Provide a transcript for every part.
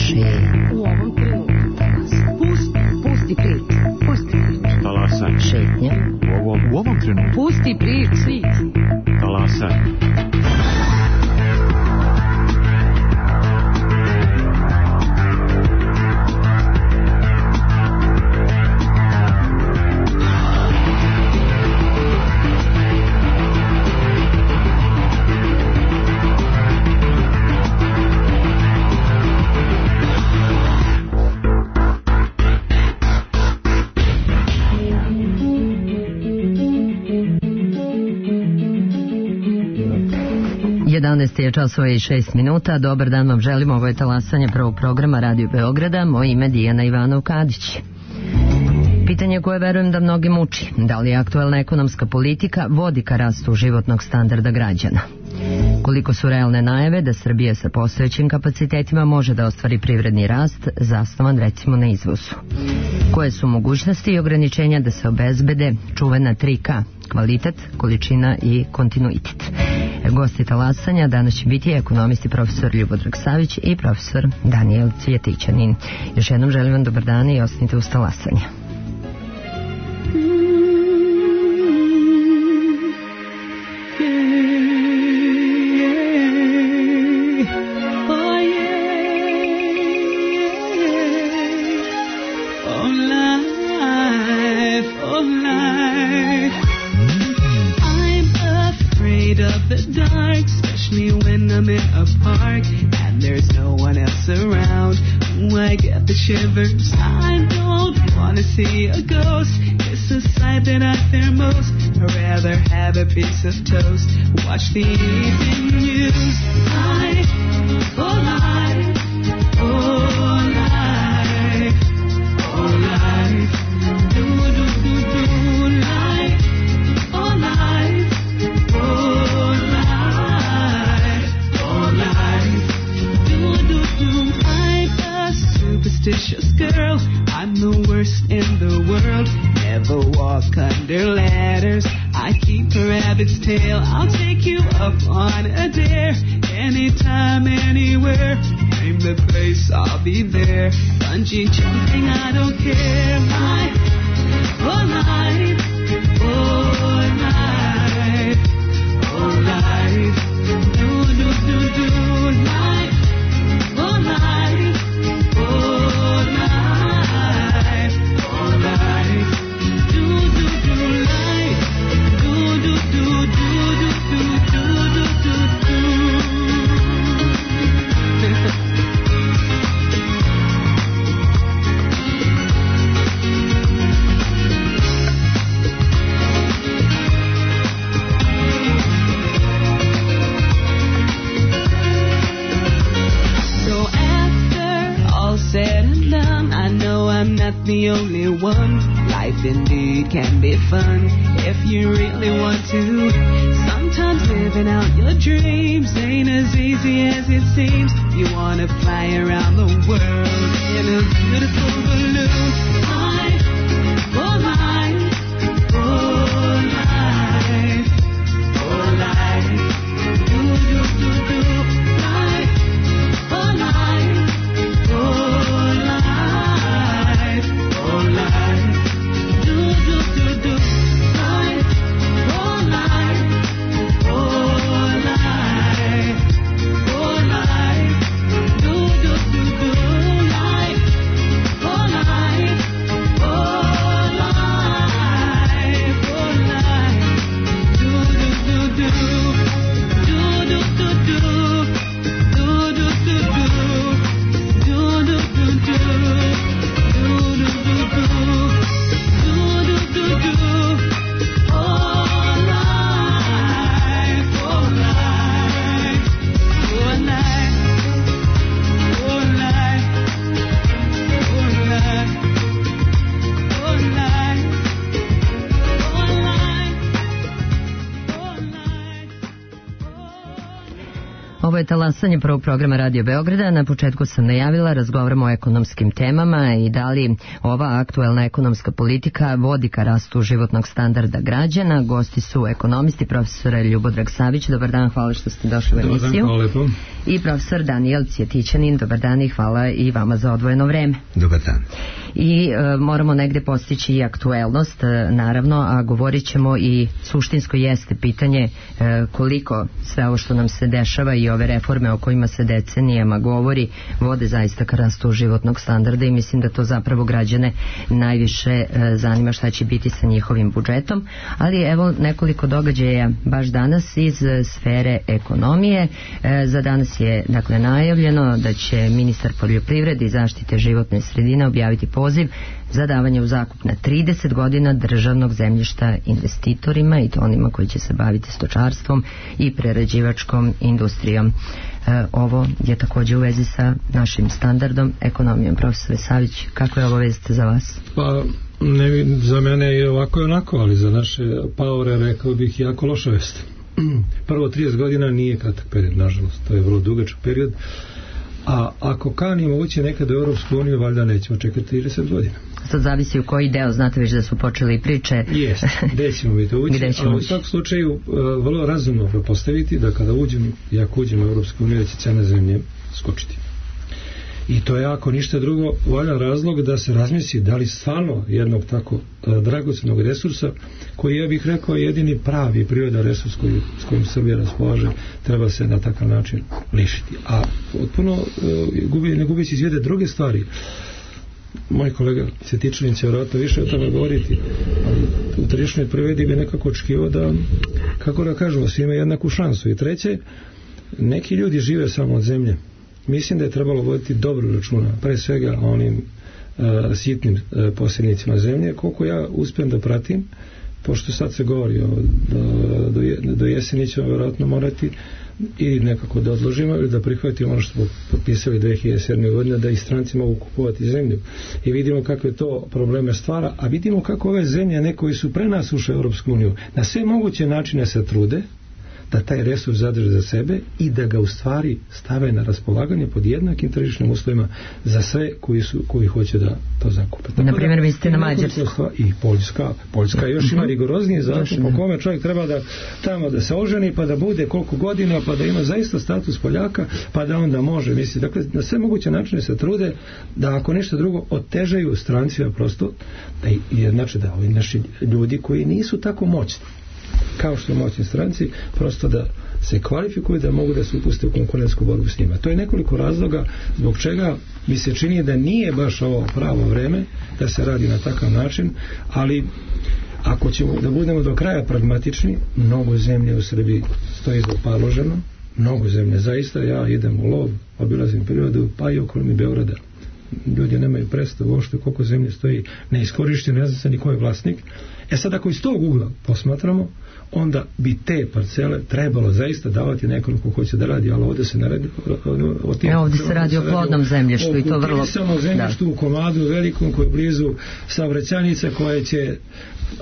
slušaj. U ovom trenutku. Pusti priču. Talasaj. Šetnja. U ovom trenutku. Pusti priču. Talasaj. Je časova i 6 minuta. Dobar dan vam želimo. Ovo je talasanje prvog programa Radio Beograda. Moje ime Dijana Ivanov-Kadić. Pitanje koje verujem da mnogi muči. Da li aktuelna ekonomska politika vodi ka rastu životnog standarda građana? Koliko su realne najave da Srbija sa postojećim kapacitetima može da ostvari privredni rast zasnovan recimo na izvozu? Koje su mogućnosti i ograničenja da se obezbede čuvena 3K, kvalitet, količina i kontinuitet? Gosti talasanja danas će biti ekonomisti profesor Ljubodrag Savić i profesor Danijel Cvjetićanin. Još jednom želim vam dobar dan i ostanite uz talasanje. Shivers, I don't wanna see a ghost. It's the sight that I fear most. I'd rather have a piece of toast. Watch the evening news. Life, oh life, oh life, oh life. Do do do do life, oh life, oh life, oh life. Do do do. Superstitious girl, I'm the worst in the world. Never walk under ladders. I keep a rabbit's tail. I'll take you up on a dare. Anytime, anywhere. Name the place, I'll be there. Bungee jumping, I don't care. Life, oh life, oh life, oh life. Do do do do life, oh life. The only one. Life indeed can be fun if you really want to. Sometimes living out your dreams ain't as easy as it seems. You wanna fly around the world in a beautiful balloon. Life, oh life, oh life, oh life. Do do do do life, oh life, oh life. Oh life, do do do do life, oh life, oh life, oh life, do do do do Ovo je talasanje prvog programa Radio Beograda. Na početku sam najavila, razgovaramo o ekonomskim temama i da li ova aktuelna ekonomska politika vodi ka rastu životnog standarda građana. Gosti su ekonomisti, profesor Ljubodrag Savić. Dobar dan, hvala što ste došli u emisiju. Dobar dan, hvala lepo. I profesor Danijel Cvjetićanin. Dobar dan i hvala i vama za odvojeno vreme. Dobar dan. I moramo negde postići i aktuelnost, naravno, a govorit ćemo i suštinsko jeste pitanje koliko sve ovo što nam se dešava i ove reforme o kojima se decenijama govori vode zaista ka rastu životnog standarda i mislim da to zapravo građane najviše zanima šta će biti sa njihovim budžetom, ali evo nekoliko događaja baš danas iz sfere ekonomije. Za danas je dakle najavljeno da će ministar poljoprivrede i zaštite životne sredine objaviti poziv za davanje u zakup na 30 godina državnog zemljišta investitorima i to onima koji će se baviti stočarstvom i prerađivačkom industrijom. Ovo je također u vezi sa našim standardom ekonomijom. Profesore Savić, kako je ovo vest za vas? Pa, za mene je ovako i onako, ali za naše paore rekao bih jako loša vest. Prvo, 30 godina nije kratak period, nažalost, to je vrlo dugačak period, a ako kanimo ući nekad u Europsku uniju, valjda nećemo čekati 30 godina. Sad zavisi u koji deo, znate već da su počeli priče. Jeste, gde ćemo mi to ući, ali u svakom slučaju vrlo razumno postaviti da kada uđemo, i ako uđemo u Europsku uniju, da će cena zemlje skočiti. I to je ako ništa drugo valjan razlog da se razmisli da li stvarno jednog tako dragocjenog resursa, koji ja bih rekao jedini pravi prirodan resurs s kojim Srbija raspolaže, treba se na takav način lišiti. A potpuno ne gubići iz vide druge stvari. Moj kolega Cvjetićanin će vjerojatno više o tome govoriti, ali u tržišnoj privredi bi nekako očekivao da, kako da kažemo, svi imaju jednaku šansu. I treće, neki ljudi žive samo od zemlje. Mislim da je trebalo voditi dobro računa, pre svega onim sitnim posjednicima zemlje. Koliko ja uspijem da pratim, pošto sad se govori do jeseni ćemo vjerojatno morati ili nekako da odložimo ili da prihvatimo ono što smo potpisali 2007. godine, da i stranci mogu kupovati zemlju. I vidimo kakve to probleme stvara, a vidimo kako ove zemlje, ne koji su pre nas ušli u Europsku uniju, na sve moguće načine se trude da taj resurs zadrže za sebe i da ga u stvari stave na raspolaganje pod jednakim tržišnim uslovima za sve koji hoće da to zakupe. Na primjer, vi ste na Mađarsku. I Poljska još ima rigorozniji zakon po kome čovjek treba da tamo da se oženi pa da bude koliko godina pa da ima zaista status Poljaka pa da onda može. Mislim, dakle, na sve moguće načine se trude da ako nešto drugo otežaju strancima prosto, znači da ovi naši ljudi koji nisu tako moćni kao što moćni stranci, prosto da se kvalifikuju da mogu da se upuste u konkurentsku borbu s njima. To je nekoliko razloga zbog čega mi se čini da nije baš ovo pravo vreme da se radi na takav način, ali ako ćemo da budemo do kraja pragmatični, mnogo zemlje u Srbiji stoji zapaloženo, mnogo zemlje, zaista ja idem u lov, obilazim prirodu, pa i okolini Beograda. Ljudi nemaju predstavu uopšte koliko zemlje stoji neiskorišteno, ne zna se ni ko je vlasnik. Sad ako iz tog ugla posmatramo, onda bi te parcele trebalo zaista davati nekom ko hoće da radi, ali ovdje se ne radi ovdje se radi o plodnom zemljištu i to vrlo zemljištu u komadu velikom koji je blizu saobraćajnice koje će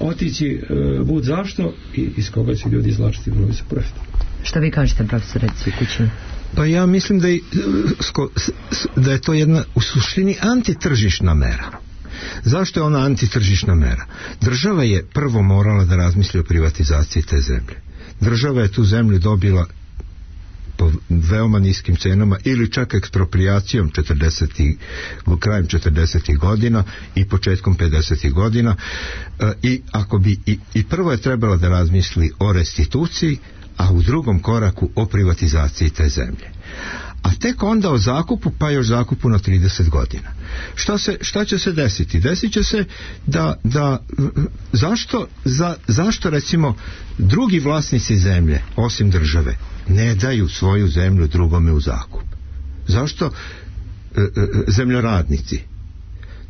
otići bud zašto i iz koga će ljudi izvlačiti vrlo se profit. Šta vi kažete, profesore Cvjetićanin? Pa ja mislim da je to jedna u suštini antitržišna mera. Zašto je ona antitržišna mera? Država je prvo morala da razmisli o privatizaciji te zemlje. Država je tu zemlju dobila po veoma niskim cenama ili čak ekspropriacijom krajem 40. godina i početkom 50. godina i prvo je trebala da razmisli o restituciji, a u drugom koraku o privatizaciji te zemlje. A tek onda o zakupu, pa još zakupu na 30 godina. Šta će se desiti? Desit će se zašto recimo drugi vlasnici zemlje, osim države, ne daju svoju zemlju drugome u zakup? Zašto zemljoradnici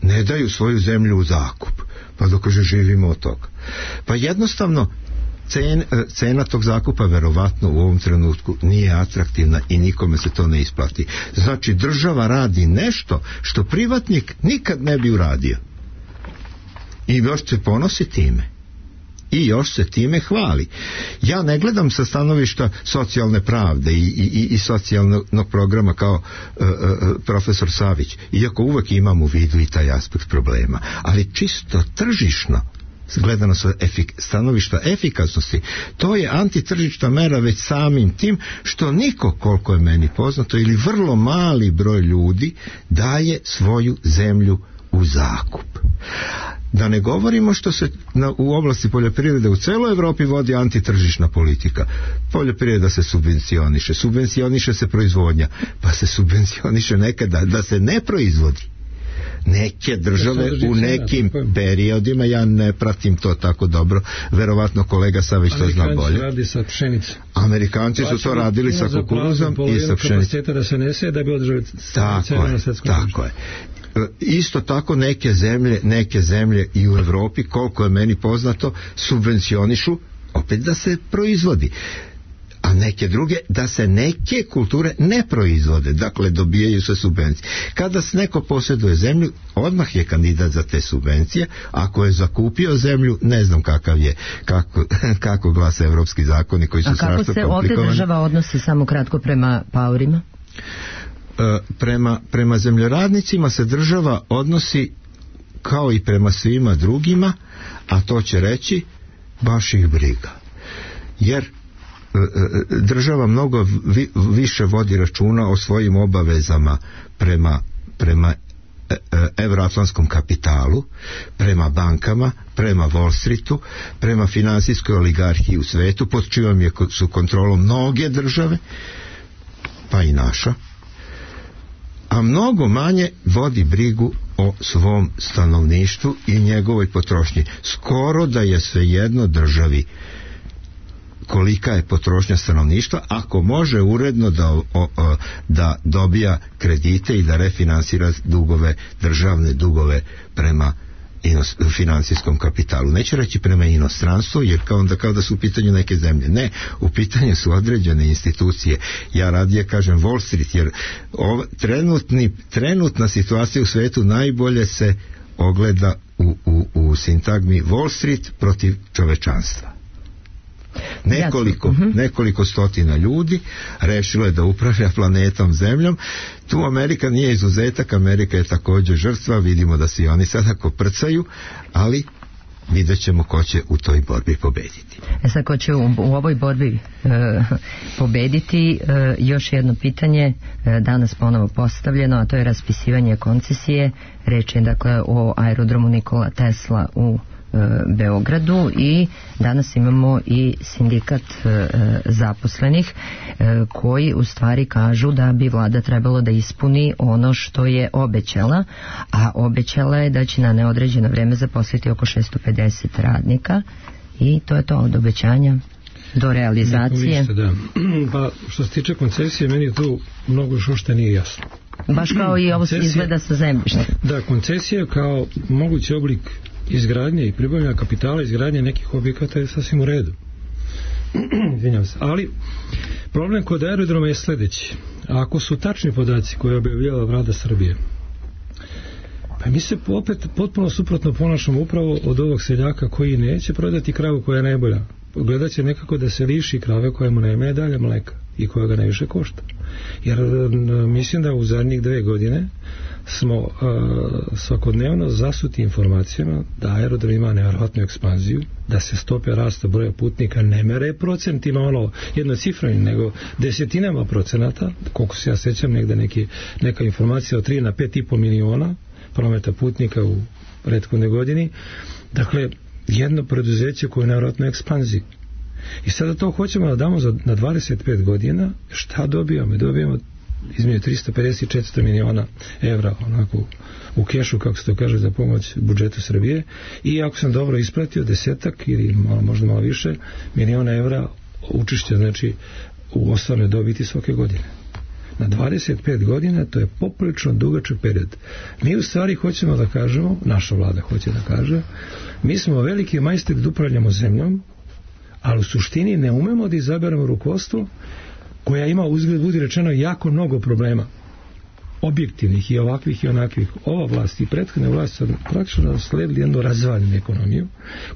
ne daju svoju zemlju u zakup? Pa dokaže živimo od toga. Pa jednostavno cena tog zakupa verovatno u ovom trenutku nije atraktivna i nikome se to ne isplati. Znači država radi nešto što privatnik nikad ne bi uradio i još se ponosi time i još se time hvali. Ja ne gledam sa stanovišta socijalne pravde i socijalnog programa kao profesor Savić, iako uvek imam u vidu i taj aspekt problema, ali čisto tržišno gledano sa stanovišta efikasnosti, to je antitržišna mera već samim tim što niko, koliko je meni poznato, ili vrlo mali broj ljudi daje svoju zemlju u zakup. Da ne govorimo što se u oblasti poljoprivrede u celoj Evropi vodi antitržišna politika. Poljoprivreda se subvencioniše se proizvodnja, pa se subvencioniše nekada da se ne proizvodi. Neke države u nekim periodima, ja ne pratim to tako dobro, verovatno kolega Savić to zna bolje. Radi sa pšenicom. Amerikanci su to radili sa kukuruzom i sa pšenicom. Da se nese da bi održali cenu na svetskom tržištu. Tako je. Isto tako neke zemlje i u Evropi, koliko je meni poznato, subvencionišu opet da se proizvodi, a neke druge da se neke kulture ne proizvode, dakle dobijaju se subvencije. Kada neko posjeduje zemlju, odmah je kandidat za te subvencije. Ako je zakupio zemlju, ne znam kako glase evropski zakoni koji su strašno komplikovani. A kako se ovdje država odnosi, samo kratko, prema paorima? Prema zemljoradnicima se država odnosi kao i prema svima drugima, a to će reći baš ih briga. Jer država mnogo više vodi računa o svojim obavezama prema evroatlantskom kapitalu, prema bankama, prema Wall Streetu, prema finansijskoj oligarhiji u svetu, pod čijom su kontrolom mnoge države, pa i naša, a mnogo manje vodi brigu o svom stanovništvu i njegovoj potrošnji. Skoro da je svejedno državi kolika je potrošnja stanovništva, ako može uredno da dobija kredite i da refinansira državne dugove prema financijskom kapitalu. Neću reći prema inostranstvu, jer kao da su u pitanju neke zemlje. Ne, u pitanju su određene institucije. Ja radije kažem Wall Street, jer trenutna situacija u svetu najbolje se ogleda u sintagmi Wall Street protiv čovečanstva. Nekoliko stotina ljudi rešilo je da upravlja planetom Zemljom. Tu Amerika nije izuzetak, Amerika je također žrtva, vidimo da se i oni sada koprcaju, ali vidjet ćemo ko će u toj borbi pobediti. Sad, ko će u ovoj borbi pobediti, još jedno pitanje danas ponovo postavljeno, a to je raspisivanje koncesije. Reč je dakle o aerodromu Nikola Tesla u Beogradu, i danas imamo i sindikat zaposlenih koji u stvari kažu da bi vlada trebalo da ispuni ono što je obećala, a obećala je da će na neodređeno vreme zaposliti oko 650 radnika, i to je to od obećanja do realizacije. Ništa, da. Pa što se tiče koncesije, meni je tu mnogo što nije jasno. Baš kao i ovo se izgleda sa zemljištem. Da, koncesija kao mogući oblik izgradnje i pribavljanja kapitala, izgradnje nekih objekata je sasvim u redu. Izvinjam se. Ali problem kod aerodroma je sljedeći. Ako su tačni podaci koje je objavila Vlada Srbije, pa mi se opet potpuno suprotno ponašamo upravo od ovog seljaka koji neće prodati kravu koja je najbolja. Gledat će nekako da se liši krave koja mu najme dalje mleka i koja ga najviše košta. Jer mislim da u zadnjih 2 godine smo svakodnevno zasuti informacijama da aerodrom ima nevjerojatnu ekspanziju, da se stope rasta broja putnika ne mere procentima, jednocifreni, nego desetinama procenata, koliko se ja sećam, negde neka informacija od 3 na 5,5 miliona prometa putnika u prethodnoj godini. Dakle, jedno preduzeće koje je nevjerojatno ekspanziji. I sada to hoćemo da damo na 25 godina. Šta dobijamo? Dobijamo između 350 i 400 miliona evra onako u kešu, kako se to kaže, za pomoć budžetu Srbije, i ako sam dobro ispratio, 10 ili možda malo više miliona evra učešća, znači u osnovnoj dobiti svake godine. Na 25 godina to je poprilično dugačak period. Mi u stvari hoćemo da kažemo, naša vlada hoće da kaže, mi smo veliki majstori da upravljamo zemljom, ali u suštini ne umemo da izaberemo rukovodstvo koja ima, uzgled budi rečeno, jako mnogo problema. objektivnih i ovakvih i onakvih, ova vlast i prethodne vlasti su praktično sledili jednu razvaljenu ekonomiju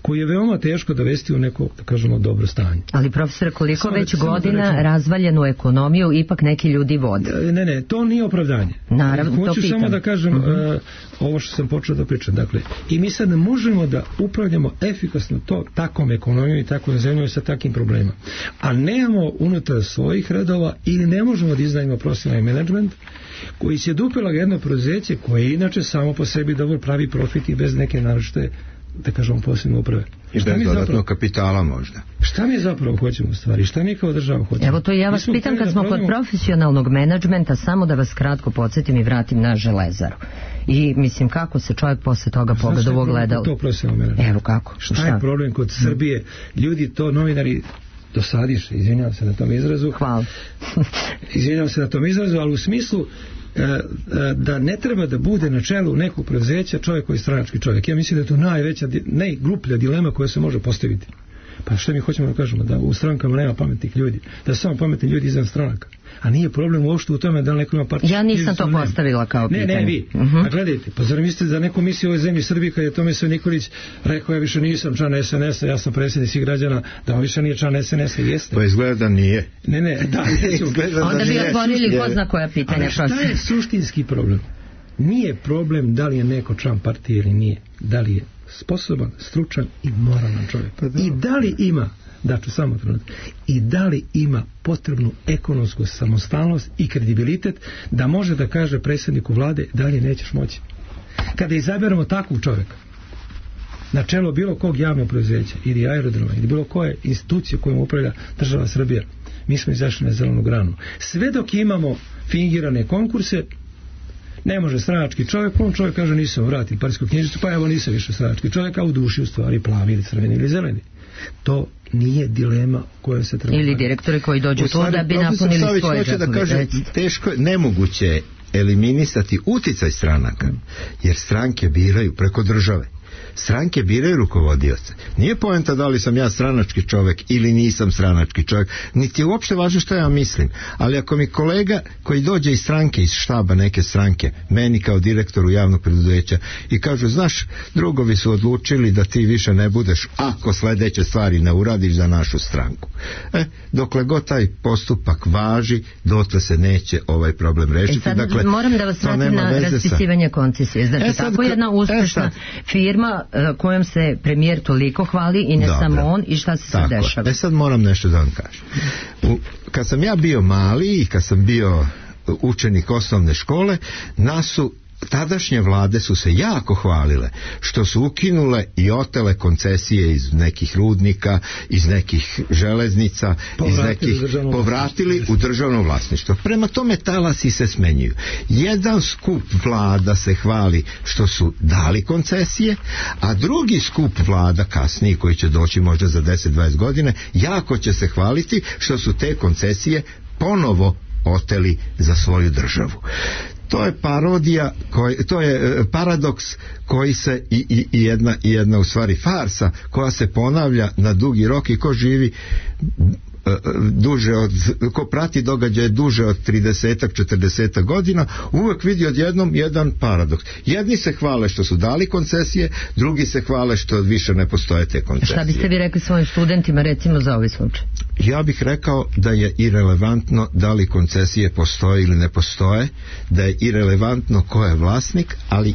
koju je veoma teško dovesti u neko, da kažemo, dobro stanje. Ali profesor, koliko već godina razvaljenu ekonomiju ipak neki ljudi vode? Ne, to nije opravdanje. Naravno, to hoću pitam. Samo da kažem ovo što sam počeo da pričam. Dakle, i mi sad ne možemo da upravljamo efikasno takvom ekonomijom i takvom zemljom sa takim problemima. A nemamo unutar svojih redova ili ne možemo da iznajemo profesionalni menadžment koji će dupela jedno preduzeće koje inače samo po sebi dobro pravi profit i bez neke naročite, da kažemo, posebne uprave. I bez dodatnog kapitala možda. Šta mi zapravo hoćemo u stvari? Šta mi kao država hoćemo? Evo to ja vas pitam kad smo kod profesionalnog menadžmenta, samo da vas kratko podsjetim i vratim na Železaru. I mislim, kako se čovjek posle toga pogleda u ogledalo? To profesionalno menadžment. Evo kako? Šta je problem kod Srbije? Ljudi to, novinari, dosadiše, izvinjavam se na tom izrazu. Hvala. Izvinjavam se na tom izrazu, ali u smislu da ne treba da bude na čelu nekog preduzeća čovjek koji je stranački čovjek. Ja mislim da je to najgluplja dilema koja se može postaviti. Pa što mi hoćemo da kažemo? Da u strankama nema pametnih ljudi. Da su samo pametni ljudi izvan stranaka. A nije problem uopšte u tome da li neko ima partiju. Ja nisam to postavila kao pitanje. Ne, vi. A gledajte, pa zar mislite da neko misli u ovoj zemlji Srbiji kad je Tomislav Nikolić rekao ja više nisam član SNS-a, ja sam predsjednik svih građana, da on više nije član SNS-a, jeste. Pa izgleda da nije. Ne, da. Onda bi otvorili ko zna koja pitanja. Ali šta je suštinski problem? Nije problem da li je neko član partije ili nije. Da li je sposoban, stručan i moralan čovjek. I da li ima, daću samo trenutak, i da li ima potrebnu ekonomsku samostalnost i kredibilitet da može da kaže predsjedniku vlade dalje nećeš moći. Kada izaberemo takvog čovjeka na čelo bilo kog javnog preduzeća ili aerodroma ili bilo koje institucije kojom upravlja država Srbija, mi smo izašli na zelenu granu. Sve dok imamo fingirane konkurse, ne može stranački čovjek, on čovjek kaže nisam vratio parijsku knjižicu, pa evo nisam više stranački čovjek, a u duši u stvari plavi ili crveni ili zeleni. To nije dilema koja se treba... Ili direktori koji dođu tu da bi napunili svoje džepove. Da kažem, teško, nemoguće je eliminisati uticaj stranaka, jer stranke biraju preko države. Stranke biraju rukovodioce. Nije poenta da li sam ja stranački čovjek ili nisam stranački čovjek, niti je uopšte važno što ja mislim. Ali ako mi kolega koji dođe iz stranke, iz štaba neke stranke, meni kao direktoru javnog preduzeća i kažu, znaš, drugovi su odlučili da ti više ne budeš ako sledeće stvari ne uradiš za našu stranku. Dokle god taj postupak važi, dotle se neće ovaj problem rešiti. Sad dakle, moram da vas vratim na raspisivanje koncesije. Znači, tako jedna uspešna firma kojom se premijer toliko hvali i ne samo on, i šta se sad dešava? Sad moram nešto da vam kažem. Kad sam ja bio mali i kad sam bio učenik osnovne škole, tadašnje vlade su se jako hvalile što su ukinule i otele koncesije iz nekih rudnika, iz nekih železnica, povratili u državno vlasništvo. Prema tome talasi se smenjuju. Jedan skup vlada se hvali što su dali koncesije, a drugi skup vlada kasniji koji će doći možda za 10-20 godine jako će se hvaliti što su te koncesije ponovo oteli za svoju državu. To je parodija, to je paradoks koji se i jedna u stvari farsa koja se ponavlja na dugi rok, i ko živi ko prati događaje duže od 30-40 godina, uvek vidi odjednom jedan paradoks. Jedni se hvale što su dali koncesije, drugi se hvale što više ne postoje te koncesije. Šta biste vi rekli svojim studentima recimo za ovaj slučaj? Ja bih rekao da je irelevantno da li koncesije postoje ili ne postoje, da je irelevantno ko je vlasnik, ali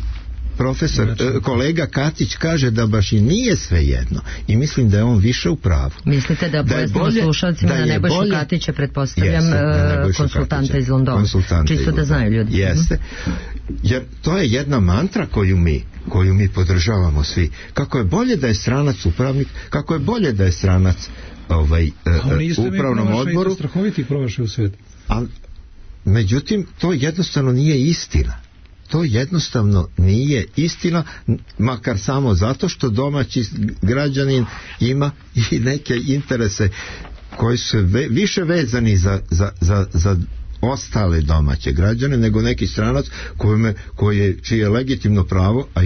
kolega Katić kaže da baš i nije sve jedno, i mislim da je on više u pravu. Mislite da pojasnimo slušalcima na Nebojšu Katića, pretpostavljam, konsultanta iz Londona, čisto da znaju ljudi. Jeste, jer to je jedna mantra koju mi podržavamo svi. Kako je bolje da je stranac upravnik, kako je bolje da je stranac upravnom odboru. Strahoviti promašaj u svijetu. Međutim, to jednostavno nije istina. To jednostavno nije istina, makar samo zato što domaći građanin ima i neke interese koji su više vezani za ostale domaće građane nego neki stranac čije je legitimno pravo, a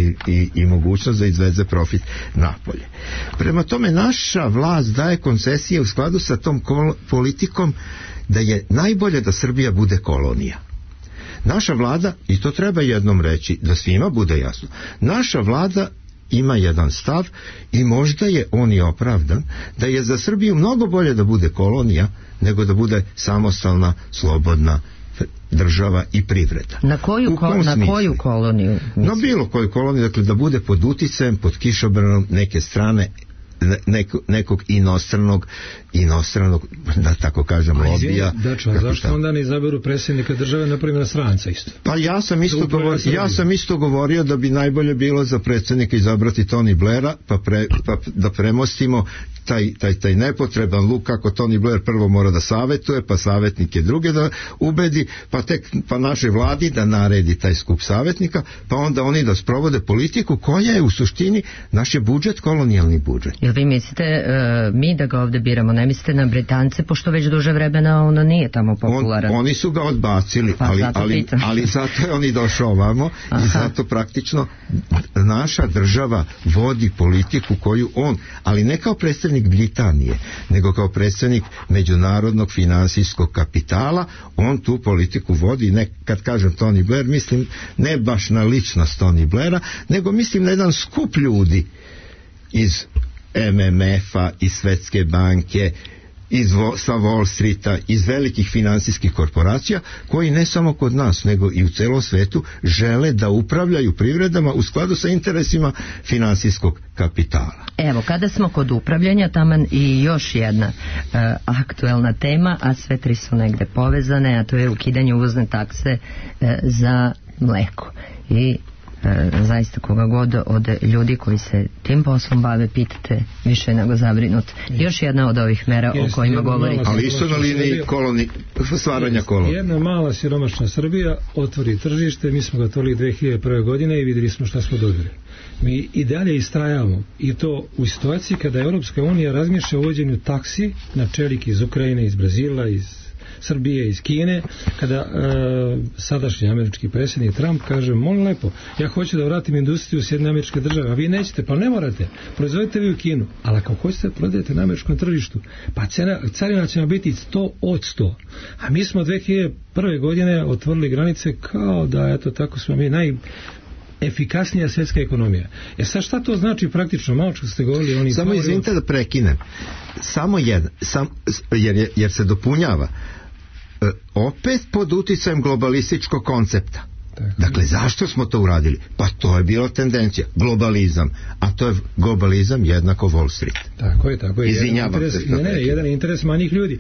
i mogućnost da izveze profit napolje. Prema tome, naša vlast daje koncesije u skladu sa tom politikom da je najbolje da Srbija bude kolonija. Naša vlada, i to treba jednom reći, da svima bude jasno, naša vlada ima jedan stav i možda je on i opravdan, da je za Srbiju mnogo bolje da bude kolonija nego da bude samostalna, slobodna država i privreda. Na koju koloniju? Na bilo koju koloniju, dakle da bude pod uticajem, pod kišobranom neke strane, nekog inostranog, da tako kažem, lobija. Zašto onda ne izaberu predsjednika države, na primjer, stranca isto? Pa ja sam isto govorio da bi najbolje bilo za predsjednika izabrati Tony Blaira, pa da premostimo taj nepotreban luk kako Tony Blair prvo mora da savjetuje, pa savjetnike druge da ubedi, pa našoj vladi da naredi taj skup savjetnika, pa onda oni da sprovode politiku koja je u suštini naš je budžet, kolonijalni budžet. Jel vi mislite mi da ga ovdje biramo, ne mislite na Britance, pošto već duže vremena ono nije tamo popularan? Oni su ga odbacili, ali zato je on i došao ovamo. Aha. I zato praktično naša država vodi politiku koju on, ali ne kao predstavnik Britanije, nego kao predstavnik međunarodnog finansijskog kapitala, on tu politiku vodi, ne, kad kažem Tony Blair, mislim ne baš na ličnost Tony Blaira, nego mislim na jedan skup ljudi iz MMF-a, iz Svetske banke, sa Wall Streeta, iz velikih finansijskih korporacija, koji ne samo kod nas, nego i u celom svetu žele da upravljaju privredama u skladu sa interesima finansijskog kapitala. Evo, kada smo kod upravljanja, taman i još jedna aktuelna tema, a sve tri su negde povezane, a to je ukidanje uvozne takse za mleko. I zaista koga god od ljudi koji se tim poslom bave pitate, više nego zabrinut. Još jedna od ovih mera o kojima govorite. Ali isto na liniji stvaranja kolonija. Jedna mala siromašna Srbija otvori tržište, mi smo ga otvorili 2001. godine i vidjeli smo šta smo dobili. Mi i dalje istrajavamo, i to u situaciji kada Europska unija razmišlja o uvođenju taksi na čelik iz Ukrajine, iz Brazila, iz Srbije, iz Kine, kada sadašnji američki predsjednik Trump kaže, molim lepo, ja hoću da vratim industriju u Sjedinjene Američke Države, a vi nećete, pa ne morate, proizvodite vi u Kinu, ali ako hoćete prodajete na američkom tržištu, pa carina će nam biti 100 od 100, a mi smo 2001. godine otvorili granice kao da, eto, tako smo mi najefikasnija svjetska ekonomija. Sad šta to znači praktično? Malo što ste govorili, samo izvinite da prekinem, samo jedan, jer se dopunjava, opet pod uticajem globalističkog koncepta. Dakle, zašto smo to uradili? Pa to je bila tendencija, globalizam, a to je globalizam jednako Wall Street. Tako je. Izvinjavam se. Jedan interes manjih ljudi,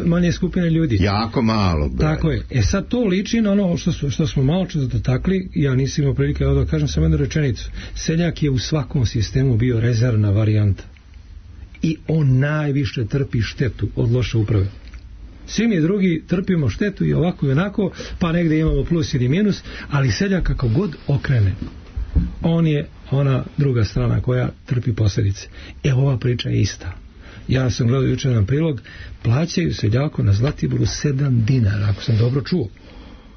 manje skupine ljudi. Jako malo. Tako je. Sad to liči na ono što smo malo čas dotakli, ja nisam imao prilike da kažem samo jednu rečenicu. Seljak je u svakom sistemu bio rezervna varijanta. I on najviše trpi štetu od loše uprave. Svi mi drugi trpimo štetu i ovako i onako, pa negdje imamo plus ili minus, ali seljak kako god okrene, on je ona druga strana koja trpi posljedice. Ova priča je ista. Ja sam gledao jučer jedan prilog, plaćaju seljaku na Zlatiboru 7 dinara, ako sam dobro čuo.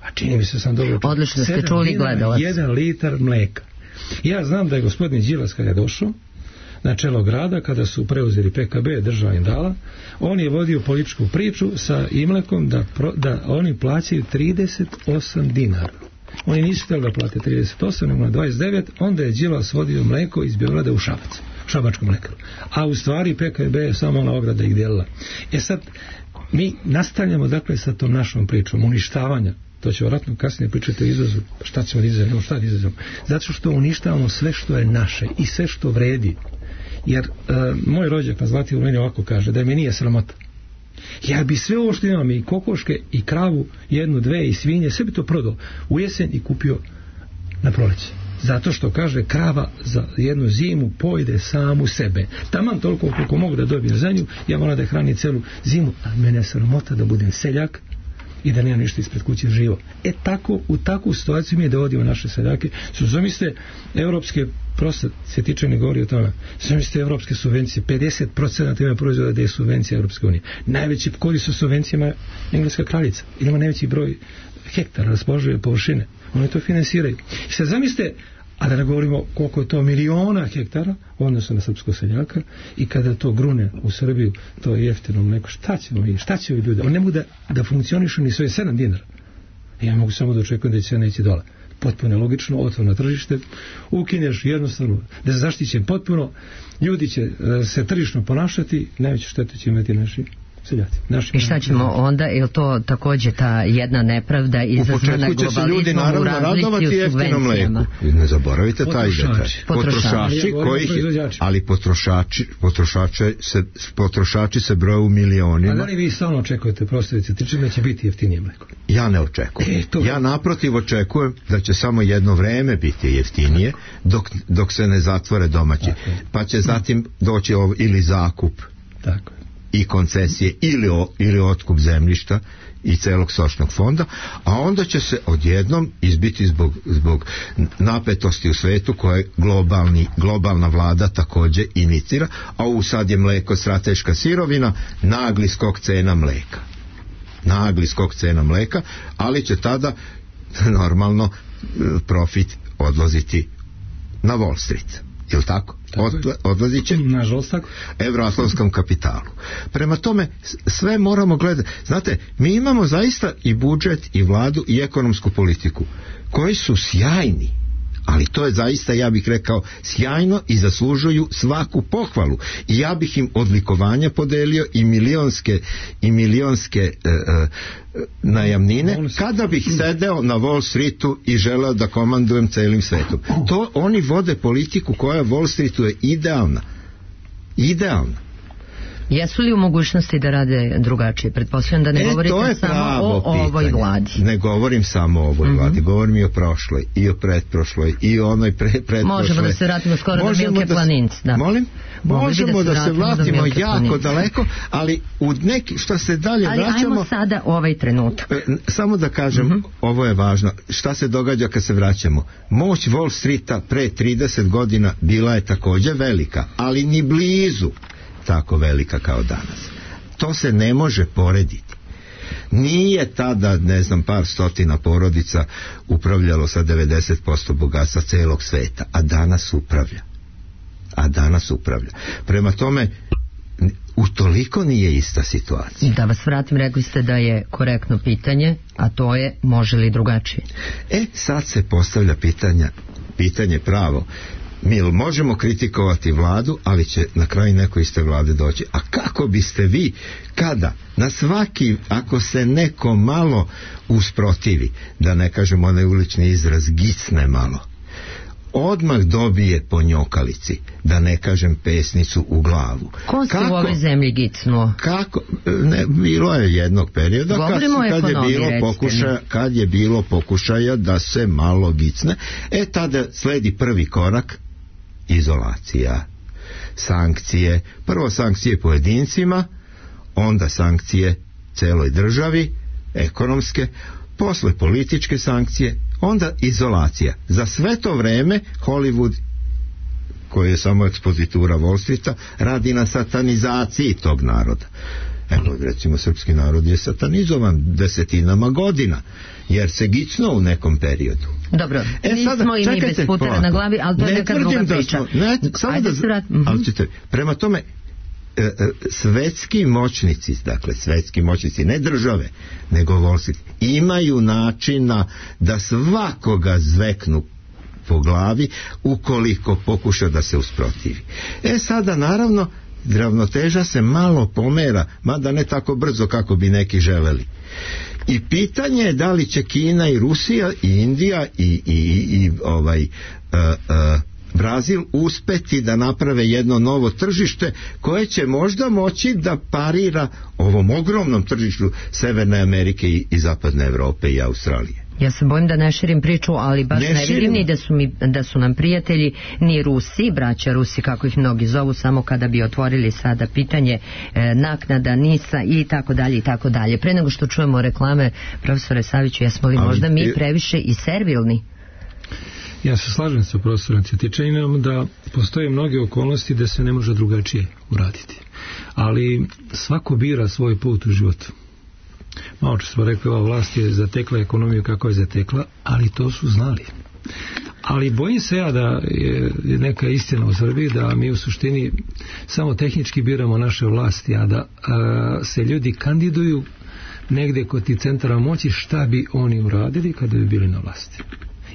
A čini mi se sam dobro čuo. Odlično ste čuli, gledalac. 1 litar mleka. Ja znam da je gospodin Đilas kada je došao na čelo grada, kada su preuzeli PKB, država im dala, on je vodio političku priču sa Imlekom da oni plaćaju 38 dinara. Oni nisu htjeli da plate 38, nego na 29, onda je Đilas vodio mleko iz Beograda u Šabac, šabačku mlekaru. A u stvari PKB je samo ona ograda ih delila. Sad, mi nastavljamo dakle sa tom našom pričom uništavanja. To će vjerojatno kasnije pričati o izvozu. Šta ćemo da izvozimo? Šta da izvozimo? Zato što uništavamo sve što je naše i sve što vredi. Jer moj rođak na Zlatiboru meni ovako kaže, da mi nije sramota. Ja bi sve ovo što imam, i kokoške, i kravu, 1, 2, i svinje, sve bi to prodao u jesen i kupio na proleće. Zato što, kaže, krava za jednu zimu pojede samu sebe. Taman toliko koliko mogu da dobijem za nju, ja moram da je hrani celu zimu, a mene je sramota da budem seljak i da nema ništa ispred kuće živo. U takvu situaciju mi dovodimo naše seljake. Zamislite evropske, prosto Svjetičani govori o tome, zamislite evropske subvencije, 50% ima proizvoda da je subvencija Evropske unije. Najveći korist sa subvencijama Engleska kraljica, ili ima najveći broj hektara raspoložive površine. Oni to finansiraju. I sad zamislite, a da ne govorimo koliko je to miliona hektara u odnosu na srpskog seljaka, i kada to grune u Srbiju, to je jeftino mleko, šta će ljudi? On ne mogu da funkcionišu ni svoje 7 dinara. Ja mogu samo da očekujem da će cena ići dole. Potpuno logično, otvoreno tržište, ukineš jednostavno, nezaštićen potpuno, ljudi će se tržišno ponašati, najveću štetu će imati naši seljaci. I šta ćemo onda, je to takođe ta jedna nepravda izazvana globalizmom u razlici u subvencijama? Ne zaboravite taj detalj. Potrošači se broje u milionima. A da li vi stalno očekujete, prostorice, da će biti jeftinije mleko? Ja ne očekujem. Ja naprotiv očekujem da će samo jedno vreme biti jeftinije dok se ne zatvore domaći. Pa će zatim doći ili zakup. Tako i koncesije ili otkup zemljišta i celog stočnog fonda, a onda će se odjednom izbiti zbog napetosti u svetu koje globalna vlada takođe inicira, a sad je mleko strateška sirovina, nagli skok cena mleka, ali će tada normalno profit odlaziti na Wall Street. Jel' tako? Odlazit će evroatlantskom kapitalu. Prema tome, sve moramo gledati. Znate, mi imamo zaista i budžet, i vladu, i ekonomsku politiku, koji su sjajni, ali to je zaista, ja bih rekao, sjajno i zaslužuju svaku pohvalu. I ja bih im odlikovanja podelio i milionske najamnine, kada bih sedeo na Wall Streetu i želeo da komandujem celim svetom. To oni vode politiku koja Wall Streetu je idealna. Jesu li u mogućnosti da rade drugačije? Pretpostavljam da ne govorite samo o ovoj vladi. Ne govorim samo o ovoj vladi, govorim i o prošloj, i o pretprošloj, i o onoj pretprošloj. Možemo da se vratimo skoro do Milke Planinc. Molim? Možemo da se vratimo jako daleko, ali u neki, što se dalje vraćamo... Ali ajmo sada ovaj trenutak. Samo da kažem, ovo je važno, šta se događa kad se vraćamo. Moć Wall Streeta pre 30 godina bila je takođe velika, ali ni blizu tako velika kao danas. To se ne može porediti. Nije tada, par stotina porodica upravljalo sa 90% bogatstva celog sveta, a danas upravlja. Prema tome, utoliko nije ista situacija. Da vas vratim, rekli ste da je korektno pitanje, a to je može li drugačije? Sad se postavlja pitanje pravo. Mi možemo kritikovati vladu, ali će na kraju neko iz te vlade doći. A kako biste vi, kada na svaki, ako se neko malo usprotivi, da ne kažem onaj ulični izraz, gicne malo, odmah dobije po njokalici, da ne kažem pesnicu u glavu. Ko se u ovoj zemlji gicnuo? Bilo je jednog perioda kad je bilo pokušaja da se malo gicne. Tada sledi prvi korak, izolacija, sankcije, prvo sankcije pojedincima, onda sankcije celoj državi, ekonomske, posle političke sankcije, onda izolacija. Za sve to vreme Hollywood, koji je samo ekspozitura Wall Streeta, radi na satanizaciji tog naroda. Evo, recimo, srpski narod je satanizovan desetinama godina, jer se gicnuo u nekom periodu. Dobro, nismo i mi bez putera na glavi, ali to je neka druga priča. Prema tome, svetski moćnici, ne države, nego Wall Street, imaju načina da svakoga zveknu po glavi ukoliko pokuša da se usprotivi. Sada naravno ravnoteža se malo pomera, mada ne tako brzo kako bi neki želeli. I pitanje je da li će Kina i Rusija i Indija i Brazil uspeti da naprave jedno novo tržište koje će možda moći da parira ovom ogromnom tržištu Severne Amerike i Zapadne Evrope i Australije. Ja se bojim da ne širim priču, ali baš ne vidim ni da su nam prijatelji ni Rusi, braća Rusi kako ih mnogi zovu, samo kada bi otvorili sada pitanje naknada, NIS-a i tako dalje i tako dalje. Pre nego što čujemo reklame, profesore Saviću, jesmo li možda mi previše i servilni? Ja se slažem sa profesorom Cvetičaninom da postoje mnoge okolnosti da se ne može drugačije uraditi. Ali svako bira svoj put u životu. Malo što smo rekli, ova vlast je zatekla ekonomiju kako je zatekla, ali to su znali. Ali bojim se ja da je neka istina u Srbiji da mi u suštini samo tehnički biramo naše vlasti, a da se ljudi kandiduju negde kod ti centara moći šta bi oni uradili kada bi bili na vlasti.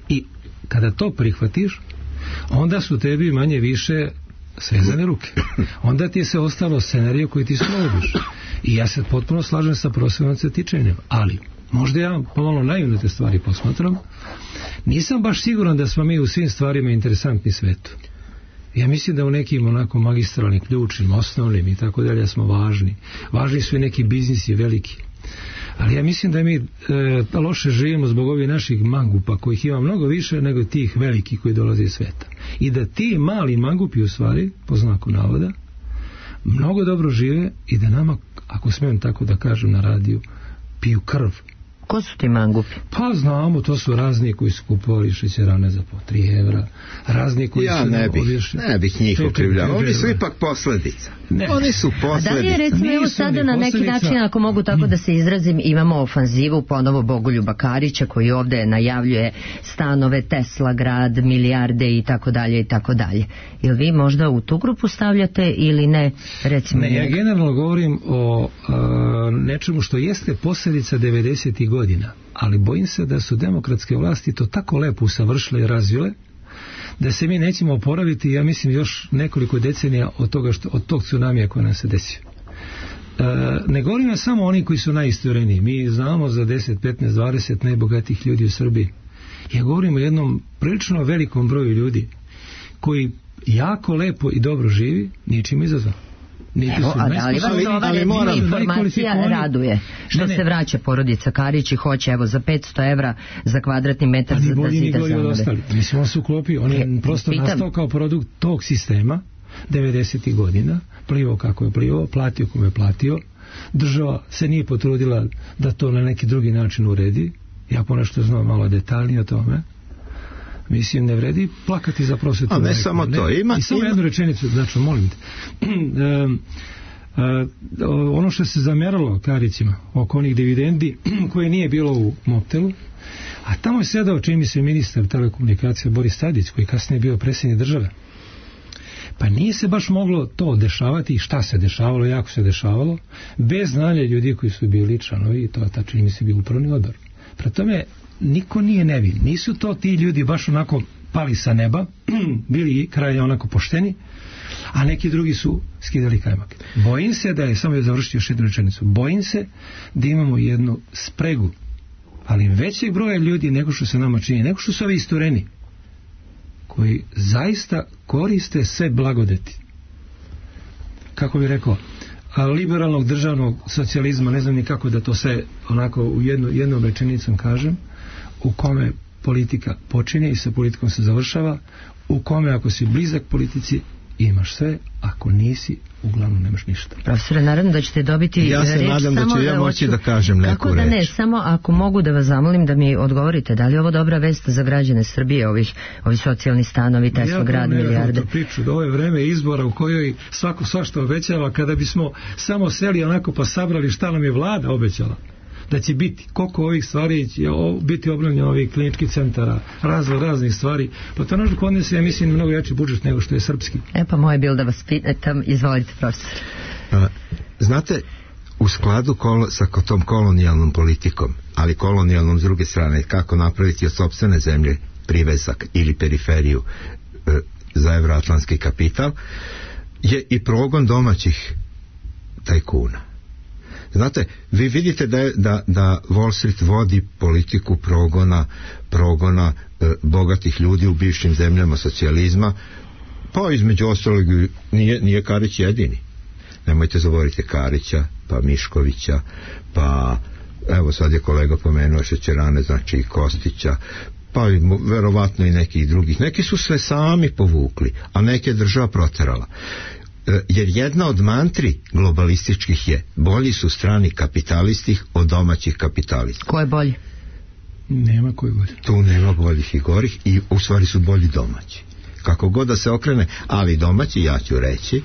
I kada to prihvatiš, onda su tebi manje više svezane ruke. Onda ti je se ostalo scenariju koji ti slodiš. I ja se potpuno slažem sa profesorom Cvetičanjem, ali možda ja pomalo naivno te stvari posmatram, nisam baš siguran da smo mi u svim stvarima interesantni svetu. Ja mislim da u nekim onako magistralnim, ključnim, osnovnim i tako dalje smo važni. Važni su i neki biznisi veliki. Ali ja mislim da mi loše živimo zbog ovih naših mangupa kojih ima mnogo više nego tih velikih koji dolaze iz sveta. I da ti mali mangupi u stvari, po znaku navoda, mnogo dobro žive i da nama, ako smijem tako da kažem na radiju, piju krv. Ko su ti mangupi? Pa znamo, to su razni koji su kupovali šećerane za po 3 evra, razni koji ja su... ne bih njih okrivljavao, oni su ipak posljedica. Ne. Oni su posljedica. A da li je recimo evo sada na neki način, ako mogu tako da se izrazim, imamo ofanzivu ponovo Bogoljuba Karića koji ovde najavljuje stanove, Tesla grad, milijarde i tako dalje i tako dalje. Jel vi možda u tu grupu stavljate ili ne? Recimo ne, ja generalno govorim o nečemu što jeste posljedica 90. godina, ali bojim se da su demokratske vlasti to tako lepo usavršile i razvile da se mi nećemo oporaviti, ja mislim, još nekoliko decenija od tog tsunamija koji nam se desio. Ne govorim samo oni koji su najistureniji. Mi znamo za 10, 15, 20 najbogatijih ljudi u Srbiji. Ja govorim o jednom prilično velikom broju ljudi koji jako lepo i dobro živi, ničim izazvan. Evo, ali vas informacija raduje što se vraća porodica Karić i hoće evo za 500 evra za kvadratni metar za da zida zanove. Mislim, on se uklopio, on je prosto nastao kao produkt tog sistema 90. godina, plivao kako je plivao, platio kome je platio, država se nije potrudila da to na neki drugi način uredi. Ja ponešto znam malo detaljnije o tome. Mislim, ne vredi plakati za prosvetu. A ne samo to. I samo jednu rečenicu, znači, molim te. Ono što se zamjeralo Karićima oko onih dividendi koje nije bilo u Mobtelu, a tamo je sedao, čini mi se, ministar telekomunikacija Boris Tadić, koji kasnije bio predsjednik države. Pa nije se baš moglo to dešavati i šta se dešavalo, jako se dešavalo, bez znanja ljudi koji su bili članovi i to, čini mi se, bio upravni odbor. Prema tome, niko nije nevin. Nisu to ti ljudi baš onako pali sa neba, bili kraj onako pošteni, a neki drugi su skidali kajmak. Bojim se da je, samo je završiti još jednu rečenicu, bojim se da imamo jednu spregu, ali većeg broja ljudi nego što se nama čini, nego što su ovi istureni, koji zaista koriste sve blagodeti. Kako bih rekao, liberalnog državnog socijalizma, ne znam ni kako da to sve onako u jednom rečenicom kažem, u kome politika počinje i sa politikom se završava, u kome ako si blizak politici imaš sve, ako nisi uglavnom nemaš ništa. Profesore, naravno da ćete dobiti reč. Ja se nadam da ću ja moći da kažem neku reč. Kako da ne, samo ako mogu da vas zamolim da mi odgovorite, da li je ovo dobra vest za građane Srbije, ovi socijalni stanovi, Tesla grad, milijarde? Ja priču da ovo je vreme izbora u kojoj svako svašta obećava, kada bismo samo seli onako pa sabrali šta nam je vlada obećala da će biti, koliko ovih stvari će biti obnovljeno, ovih kliničkih centara, raznih stvari, pa to naš kod nas je, ja mislim, mnogo jači budžet nego što je srpski. Pa moje je bilo da vas pitam, izvolite, profesor. Znate, u skladu sa tom kolonijalnom politikom, ali kolonijalnom s druge strane, kako napraviti od sopstvene zemlje privezak ili periferiju za evroatlantski kapital, je i progon domaćih tajkuna. Znate, vi vidite da Wall Street vodi politiku progona bogatih ljudi u bivšim zemljama socijalizma, pa između ostalog nije Karić jedini. Nemojte zaboraviti Karića, pa Miškovića, pa evo sad je kolega pomenuo šećerane, znači i Kostića, pa verovatno i nekih drugih. Neki su sve sami povukli, a neke država proterala. Jer jedna od mantri globalističkih je bolji su strani kapitalisti od domaćih kapitalista. Ko je bolji? Nema ko je bolji. Tu nema boljih i gorih i u stvari su bolji domaći. Kako god da se okrene, ali domaći, ja ću reći,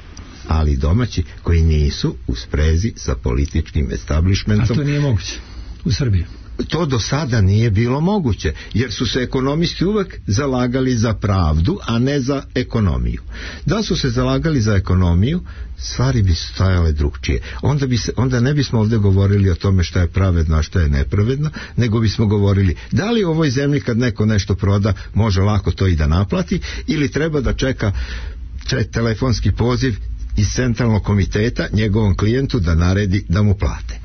ali domaći koji nisu u sprezi sa političkim establishmentom. A to nije moguće u Srbiji. to do sada nije bilo moguće, jer su se ekonomisti uvek zalagali za pravdu, a ne za ekonomiju. Da su se zalagali za ekonomiju, stvari bi stajale drugčije. Onda ne bismo ovdje govorili o tome šta je pravedno, a šta je nepravedno, nego bismo govorili da li u ovoj zemlji kad neko nešto proda može lako to i da naplati, ili treba da čeka telefonski poziv iz centralnog komiteta njegovom klijentu da naredi da mu plate.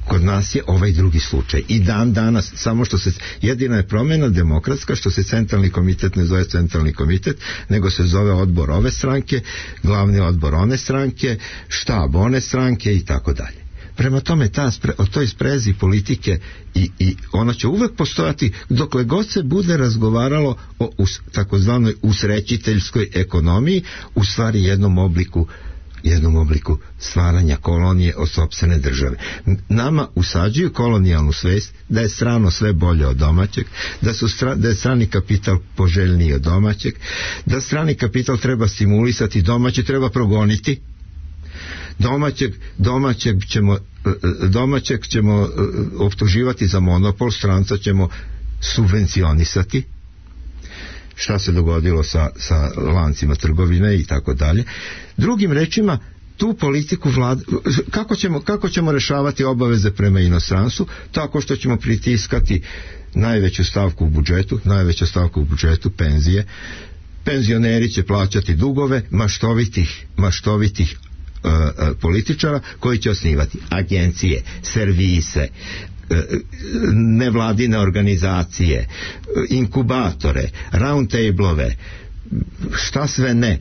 Kod nas je ovaj drugi slučaj i dan danas, samo što se jedina je promjena demokratska, što se centralni komitet ne zove centralni komitet, nego se zove odbor ove stranke, glavni odbor one stranke, štab one stranke i tako dalje. Prema tome o toj sprezi politike i ona će uvek postojati dokle god se bude razgovaralo o takozvanoj usrećiteljskoj ekonomiji, u stvari jednom obliku stvaranja kolonije od sopstvene države. Nama usađuju kolonijalnu svest da je strano sve bolje od domaćeg, da je strani kapital poželjniji od domaćeg, da strani kapital treba stimulisati, domaći treba progoniti. Domaćeg ćemo optuživati za monopol, stranca ćemo subvencionisati. Šta se dogodilo sa lancima trgovine i tako dalje. Drugim rečima, tu politiku kako ćemo rešavati obaveze prema inostranstvu? Tako što ćemo pritiskati najveća stavka u budžetu penzije. Penzioneri će plaćati dugove maštovitih političara koji će osnivati agencije, servise, nevladine organizacije, inkubatore, round table-ove, šta sve ne.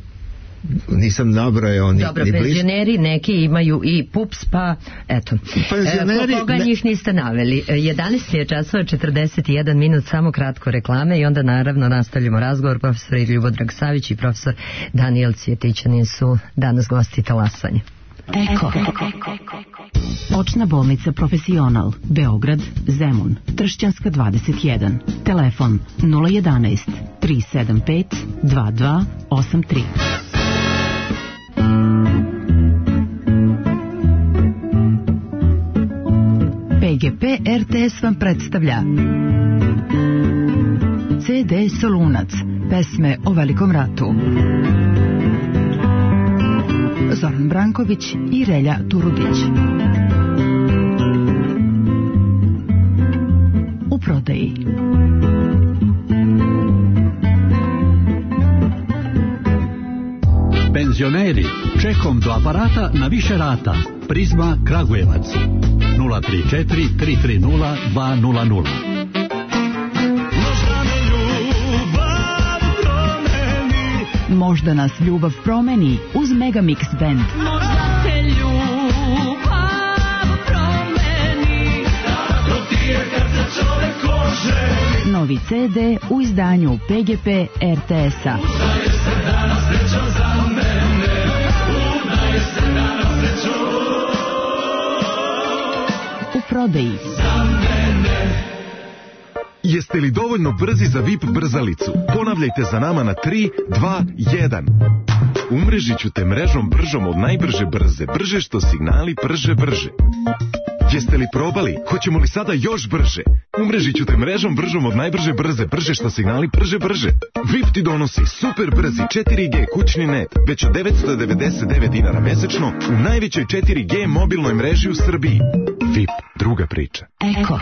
Nisam nabrojao ni dobro, penzioneri neki imaju i PUPS, pa eto, koga njih niste naveli. 11 je časova 41 minut, samo kratko reklame i onda naravno nastavljamo razgovor. Profesor Ljubodrag Savić i profesor Danijel Cvjetićanin su danas gosti Talasanja. Eko. Očna bolnica Profesional, Beograd, Zemun, Tršćanska 21. Telefon 011 375 2283. PGP RTS vam predstavlja CD Solunac, pesme o Velikom ratu. Zoran Branković i Relja Turudić. U prodaji. Penzioneri, čekom do aparata na više rata. Prizma Kragujevac 034 330 200. Možda nas ljubav promeni uz Megamix Band. Možda te ljubav promeni, dotije kad se čovek oženi. Novi CD u izdanju PGP RTS-a. Udaje se danas srećo za mene, udaje se danas srećo u prodaji. Za mene. Jeste li dovoljno brzi za VIP brzalicu? Ponavljajte za nama na 3, 2, 1. Umrežit ću te mrežom bržom od najbrže brze. Brže što signali brže. Jeste li probali? Hoćemo li sada još brže? Umrežit ću te mrežom bržom od najbrže brze. Brže što signali brže. VIP ti donosi super brzi 4G kućni net već od 999 dinara mesečno u najvećoj 4G mobilnoj mreži u Srbiji. VIP, druga priča. Eko.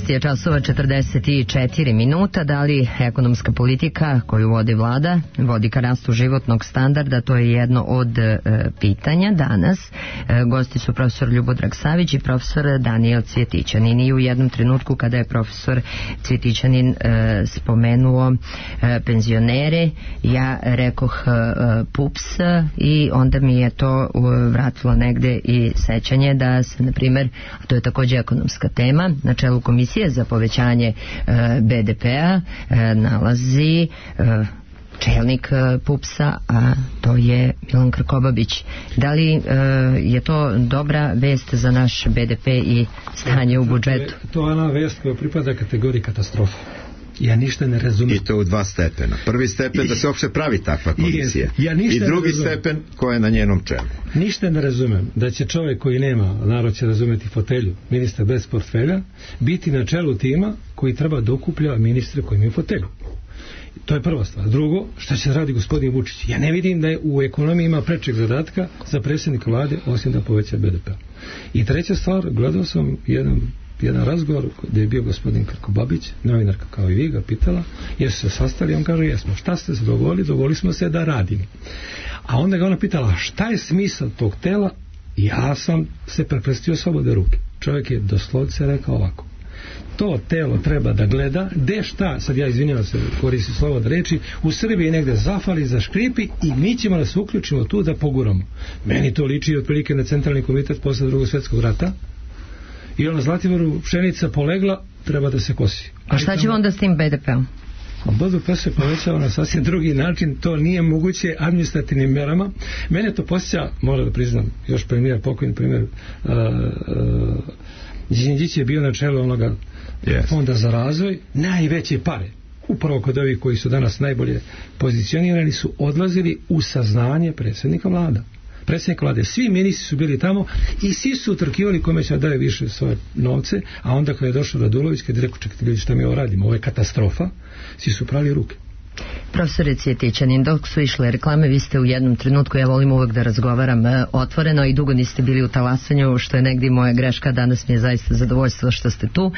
Je časova 44 minuta. Da li ekonomska politika koju vodi vlada vodi ka rastu životnog standarda? To je jedno od pitanja danas. Gosti su profesor Ljubodrag Savić i profesor Danijel Cvjetićanin. I u jednom trenutku kada je profesor Cvjetićanin spomenuo penzionere, ja rekoh PUPS i onda mi je to vratilo negde i sećanje da se, na primer, a to je takođe ekonomska tema, na čelu komisije Komisije za povećanje BDP-a nalazi čelnik PUPS-a, a to je Milan Krkobabić. Da li je to dobra vest za naš BDP i stanje u budžetu? To je ona vest koja pripada kategoriji katastrofa. Ja ništa ne razumem. I to u 2 stepena. Prvi stepen da se uopšte pravi takva komisija. I drugi stepen ko je na njenom čelu. Ništa ne razumem da će čovjek koji nema, narod će razumeti, fotelju, ministar bez portfelja, biti na čelu tima koji treba da okuplja ministre koji imaju fotelju. To je prva stvar. Drugo, šta će radi gospodin Vučić? Ja ne vidim da je u ekonomiji ima prečeg zadatka za predsjednika vlade osim da poveća BDP. I treća stvar, gledao sam jedan razgovor gdje je bio gospodin Krkobabić, novinarka kao i vi, ga pitala, jesu se sastali, on kaže jesmo. Šta ste se dogovorili? Dogovorili smo se da radimo. A onda ga ona pitala šta je smisao tog tela? Ja sam se prekrstio slobodne ruke. Čovjek je doslovce rekao ovako: to telo treba da gleda gde šta, sad ja izvinjavam se, koristim slovo da reči, u Srbiji negde zafali, zaškripi i mi ćemo da se uključimo tu da poguramo. Meni to liči otprilike na centralni komitet posle Drugog svjetskog rata i na Zlatiboru pšenica polegla, treba da se kosi. A šta ćemo onda s tim BDP-om? BDP se povećava na sasvim drugi način, to nije moguće administrativnim merama. Mene to posjeća, moram da priznam, još premijer, pokojni premijer Đinđić je bio na čelu onoga fonda za razvoj, najveće pare upravo kod ovih koji su danas najbolje pozicionirani su odlazili u saznanje predsjednika vlade. Svi ministri su bili tamo i svi su utrkivali kome će daje više svoje novce, a onda kada je došao Radulović, kada je rekao čekajte ljudi šta mi ovo radimo, ovo je katastrofa, svi su prali ruke. Profesore Cvjetićanin, dok su išle reklame, vi ste u jednom trenutku, ja volim uvek da razgovaram otvoreno i dugo niste bili u talasanju, što je negdje moja greška, danas mi je zaista zadovoljstvo što ste tu,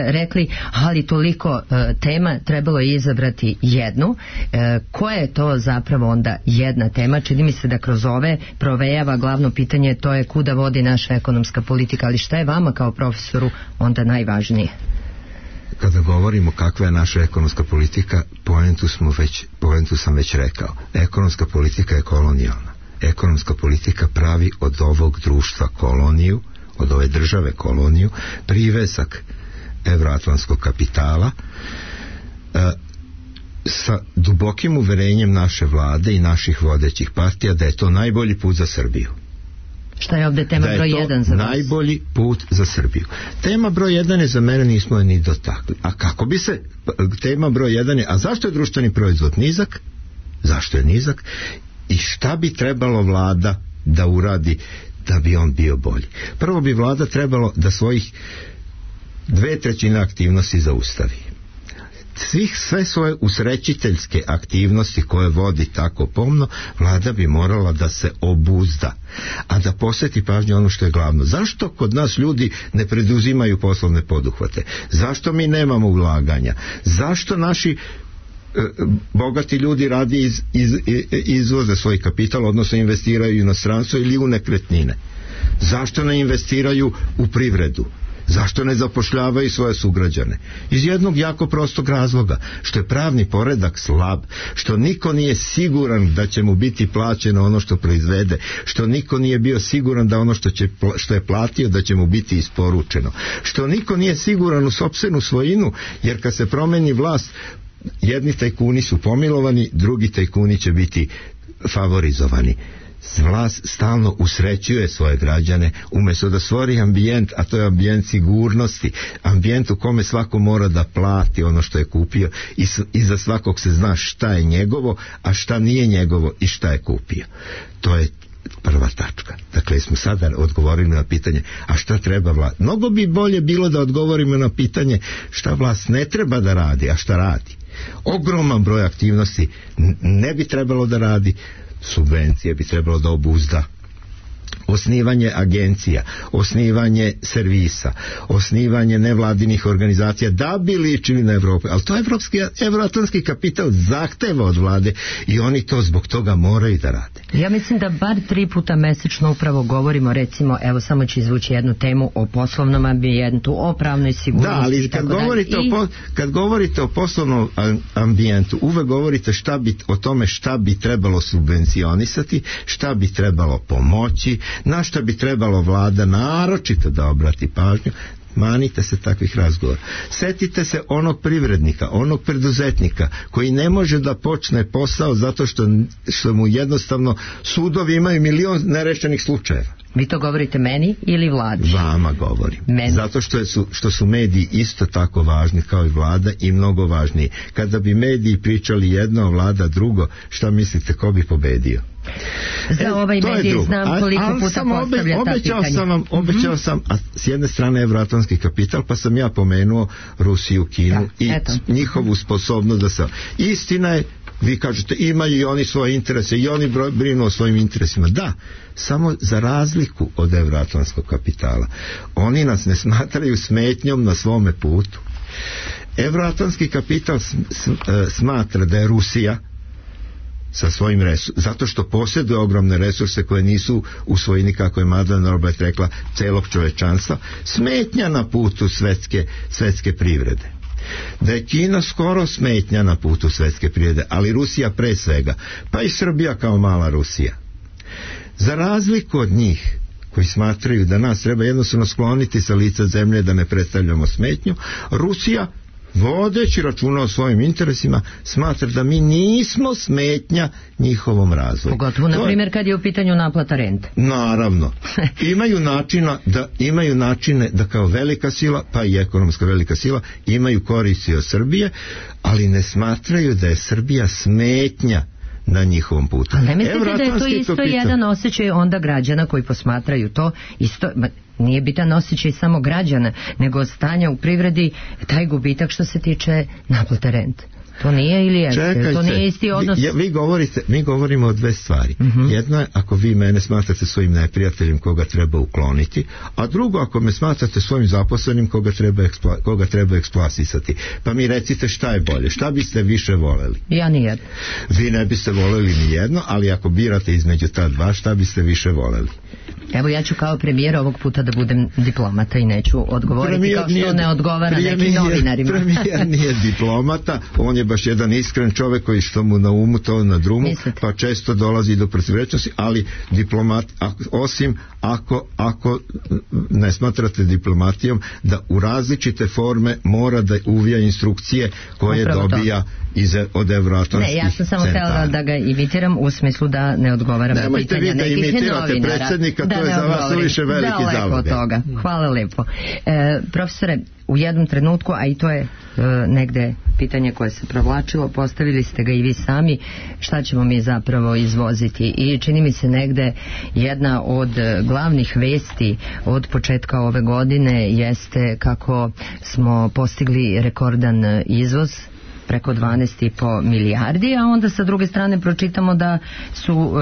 rekli, ali toliko tema, trebalo je izabrati jednu. Koja je to zapravo onda jedna tema? Čini mi se da kroz ove provejava glavno pitanje, to je kuda vodi naša ekonomska politika, ali šta je vama kao profesoru onda najvažnije? Kada govorimo kakva je naša ekonomska politika, poentu sam već rekao. Ekonomska politika je kolonijalna. Ekonomska politika pravi od ovog društva koloniju, od ove države koloniju, privesak evroatlantskog kapitala, sa dubokim uverenjem naše vlade i naših vodećih partija da je to najbolji put za Srbiju. Šta je ovdje tema broj 1 za vas? Najbolji put za Srbiju. Tema broj 1 je za mene, nismo je ni dotakli. A kako bi se, tema broj 1 je, a zašto je društveni proizvod nizak? Zašto je nizak? I šta bi trebalo vlada da uradi da bi on bio bolji? Prvo bi vlada trebalo da svojih 2/3 aktivnosti zaustavi. Sve svoje usrećiteljske aktivnosti koje vodi tako pomno, vlada bi morala da se obuzda, a da posveti pažnju ono što je glavno. Zašto kod nas ljudi ne preduzimaju poslovne poduhvate? Zašto mi nemamo ulaganja? Zašto naši bogati ljudi radi izvoze svoj kapital, odnosno investiraju u inostranstvo ili u nekretnine? Zašto ne investiraju u privredu? Zašto ne zapošljavaju svoje sugrađane? Iz jednog jako prostog razloga, što je pravni poredak slab, što niko nije siguran da će mu biti plaćeno ono što proizvede, što niko nije bio siguran da ono što je platio da će mu biti isporučeno, što niko nije siguran u sopstvenu svojinu, jer kad se promeni vlast, jedni tajkuni su pomilovani, drugi tajkuni će biti favorizovani. Vlast stalno usrećuje svoje građane umjesto da stvori ambijent, a to je ambijent sigurnosti, ambijent u kome svako mora da plati ono što je kupio i za svakog se zna šta je njegovo, a šta nije njegovo i šta je kupio. To je prva tačka. Dakle, smo sada odgovorili na pitanje, a šta treba vlast? Mnogo bi bolje bilo da odgovorimo na pitanje šta vlast ne treba da radi, a šta radi. Ogroman broj aktivnosti ne bi trebalo da radi, subvencije bi trebalo da obuzda, osnivanje agencija, osnivanje servisa, osnivanje nevladinih organizacija da bi ličili na Evropu, ali to evroatlantski kapital zahteva od vlade i oni to zbog toga moraju da rade. Ja mislim da bar 3 puta mesečno upravo govorimo, recimo, evo samo ću izvući jednu temu o poslovnom ambijentu, o pravnoj sigurnosti. Da, ali kad govorite o poslovnom ambijentu, uvek govorite o tome šta bi trebalo subvencionisati, šta bi trebalo pomoći, na šta bi trebalo vlada naročito da obrati pažnju. manite se takvih razgovora. Setite se onog privrednika, onog preduzetnika koji ne može da počne posao zato što mu jednostavno sudovi imaju milion nerešenih slučajeva. Vi to govorite meni ili vladi? Vama govorim. Meni. Zato što su mediji isto tako važni kao i vlada i mnogo važniji. Kada bi mediji pričali jedno, vlada drugo, šta mislite, ko bi pobedio? Za ovaj medij znam koliko puta postavlja ta pitanja. Obećao sam, a s jedne strane evroatlantski kapital, pa sam ja pomenuo Rusiju, Kinu i njihovu sposobnost da se... Istina je, vi kažete, imaju i oni svoje interese i oni brinu o svojim interesima. Da, samo za razliku od evroatlantskog kapitala. Oni nas ne smatraju smetnjom na svome putu. Evroatlantski kapital smatra da je Rusija sa svojim resursima, zato što posjeduje ogromne resurse koje nisu u svojini, kako je Madeleine Albright rekla, celog čovečanstva, smetnja na putu svetske privrede. Da je Kina skoro smetnja na putu svetske privrede, ali Rusija pre svega, pa i Srbija kao mala Rusija. Za razliku od njih koji smatraju da nas treba jednostavno skloniti sa lica zemlje, da ne predstavljamo smetnju, Rusija, vodeći računa o svojim interesima, smatra da mi nismo smetnja njihovom razvoju. Pogotovo, na primjer, kad je u pitanju naplata rente. Naravno. Imaju načine da kao velika sila, pa i ekonomska velika sila, imaju koristi od Srbije, ali ne smatraju da je Srbija smetnja na njihovom putu. Ali ne mislite da je to isto jedan osjećaj onda građana koji posmatraju to isto... Nije bitan osjećaj samo građana, nego stanja u privredi, taj gubitak što se tiče naplate rente. To nije ili jeste? Čekajte, to nije isti odnos? Mi govorimo o dve stvari. Jedno je ako vi mene smatrate svojim neprijateljem koga treba ukloniti, a drugo ako me smatrate svojim zaposlenim koga treba eksploatisati. Pa mi recite šta je bolje, šta biste više voleli? Ja nijedno. Vi ne biste voleli ni jedno, ali ako birate između ta dva, šta biste više voleli? Evo, ja ću kao premijer ovog puta da budem diplomata i neću odgovoriti kao što ne odgovara nekim novinarima. Premijer nije diplomata, on je baš jedan iskren čovjek koji što mu na umu to na drumu. Mislite? Pa često dolazi do protivrečnosti, ali diplomat, osim ako ne smatrate diplomatijom da u različite forme mora da uvija instrukcije koje upravo dobija od evroatlantskih centara. Ne, ja sam samo htjela da ga imitiram u smislu da ne odgovaram na pitanja nekih novinara. Predsjednika, to je za vas suviše veliki zalog. Hvala lepo. Profesore, u jednom trenutku, a i to je negde pitanje koje se provlačilo, postavili ste ga i vi sami, šta ćemo mi zapravo izvoziti, i čini mi se negde jedna od glavnih vesti od početka ove godine jeste kako smo postigli rekordan izvoz, preko 12,5 milijardi, a onda sa druge strane pročitamo da su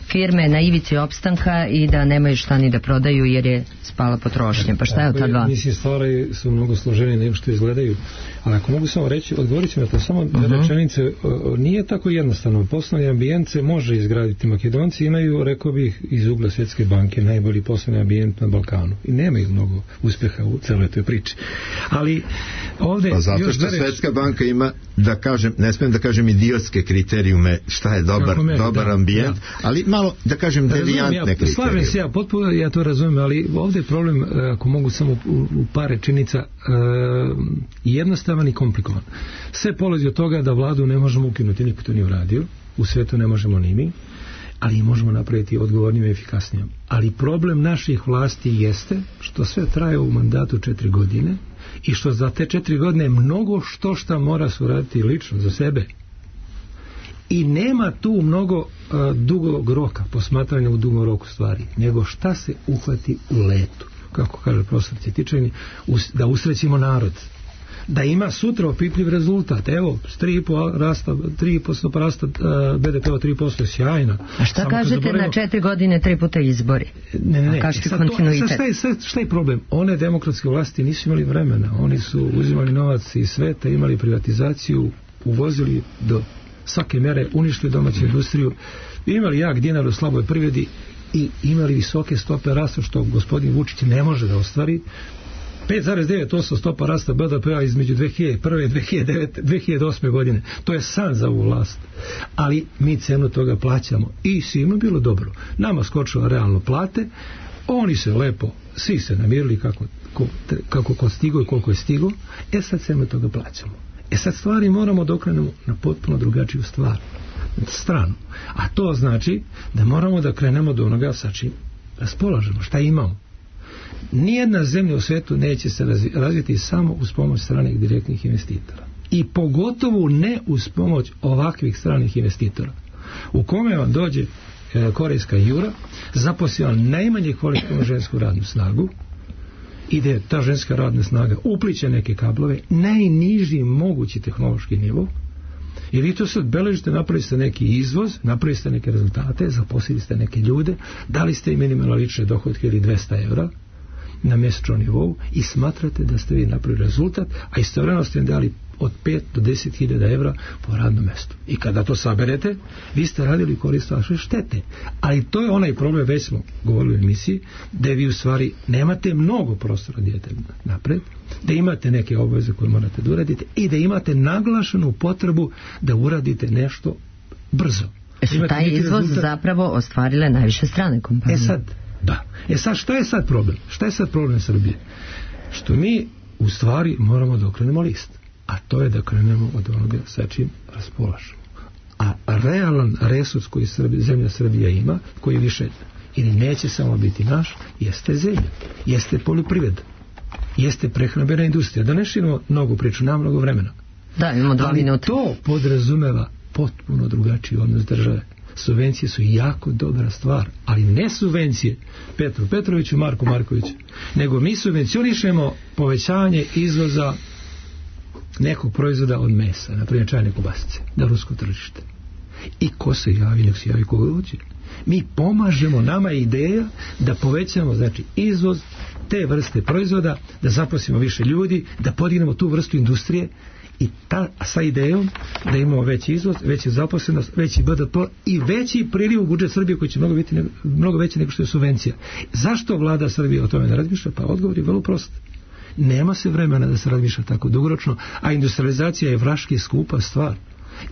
firme na ivici opstanka i da nemaju šta ni da prodaju jer je spala potrošnja. Pa šta je od ta dva? Mislim, stvari su mnogo složenije nego što izgledaju, ali ako mogu samo reći, odgovorit ću na to samo rečenice, nije tako jednostavno. Poslovni ambijent se može izgraditi. Makedonci imaju, rekao bih, iz ugla Svjetske banke najbolji poslovni ambijent na Balkanu i nemaju mnogo uspeha u celoj toj priči. Ali ovde... Pa zato što Svjetska banka ima, da kažem, ne smijem da kažem idiotske kriterijume šta je dobar ambijent, ali malo da kažem devijantne kriterijume. Slažem se, potpuno ja to razumijem, ali ovdje je problem, ako mogu samo u par rečenica, jednostavan i komplikovan. Sve polazi od toga da vladu ne možemo ukinuti, niko to nije uradio, u svetu ne možemo ni mi, ali možemo napraviti odgovornijom i efikasnijom. Ali problem naših vlasti jeste što sve traje u mandatu 4 godine i što za te 4 godine mnogo šta mora se uraditi lično za sebe. I nema tu mnogo dugog roka, posmatranja u dugom roku stvari, nego šta se uhvati u letu, kako kaže profesor Cvjetičani, da usrećimo narod, da ima sutra opipljiv rezultat. Evo, 3% rasta BDP-a 3% je sjajna. A šta samo kažete na 4 godine 3 puta izbori? Ne. Šta je problem? One demokratske vlasti nisu imali vremena. Oni su uzimali novac iz sveta, imali privatizaciju, uvozili do svake mere, uništili domaću industriju, imali jak dinar u slaboj privredi i imali visoke stope rasta, što gospodin Vučić ne može da ostvari. 5,9% stopa rasta BDP-a između 2001. i 2008. godine. To je san za ovu vlast. Ali mi cenu toga plaćamo. I svima bilo dobro. Nama skočila realno plate, oni se lepo, svi se namirili kako kako ko stigo i koliko je stigo, sad sve od toga plaćamo. Sad stvari moramo da okrenemo na potpuno drugačiju stranu. A to znači da moramo da krenemo do onoga sa čim raspolažemo, šta imamo. Nijedna zemlja u svetu neće se razviti samo uz pomoć stranih direktnih investitora. I pogotovo ne uz pomoć ovakvih stranih investitora. U kome vam dođe korejska jura, zaposli vam najmanje kvalitetnu žensku radnu snagu, ide ta ženska radna snaga, upliće neke kablove, najniži mogući tehnološki nivo, i vi to sad beležite, napravili ste neki izvoz, napravili ste neke rezultate, zaposlili ste neke ljude, dali ste im minimalno lične dohodke ili 200 evra na mjesečnom nivou i smatrate da ste vi napravili rezultat, a istovremeno ste im dali od 5 do 10.000 evra po radnom mjestu. I kada to saberete, vi ste radili korist vaše štete. Ali to je onaj problem, već smo govorili u emisiji, da vi u stvari nemate mnogo prostora da idete napred, da imate neke obaveze koje morate da uradite i da imate naglašenu potrebu da uradite nešto brzo. Su taj izvoz zapravo ostvarile najviše strane kompanije. Sad, što je sad problem? Šta je sad problem Srbije? Što mi u stvari moramo da okrenemo list. A to je da krenemo od onoga sa čim raspolažemo. A realan resurs koji zemlja Srbija ima, koji više ili neće samo biti naš, jeste zemlja, jeste poljoprivreda, jeste prehrambena industrija. Da ne širimo mnogo priču, nema mnogo vremena. Da, imamo 2 minuta. To podrazumeva potpuno drugačiji odnos države. Subvencije su jako dobra stvar, ali ne subvencije Petru Petroviću, Marku Markoviću, nego mi subvencionišemo povećanje izvoza nekog proizvoda od mesa, na primjer čajne kobasice, na rusko tržište. I ko se javi, nek se javi koga hoće. Mi pomažemo, nama je ideja da povećamo, znači, izvoz te vrste proizvoda, da zaposlimo više ljudi, da podignemo tu vrstu industrije i sa idejom da imamo veći izvoz, veću zaposlenost, veći BDP i veći priliv u budžet Srbije koji će mnogo veći nego što je subvencija. Zašto vlada Srbije o tome ne razmišlja? Pa odgovor je vrlo prost. Nema se vremena da se razmišlja tako dugoročno, a industrializacija je vraški skupa stvar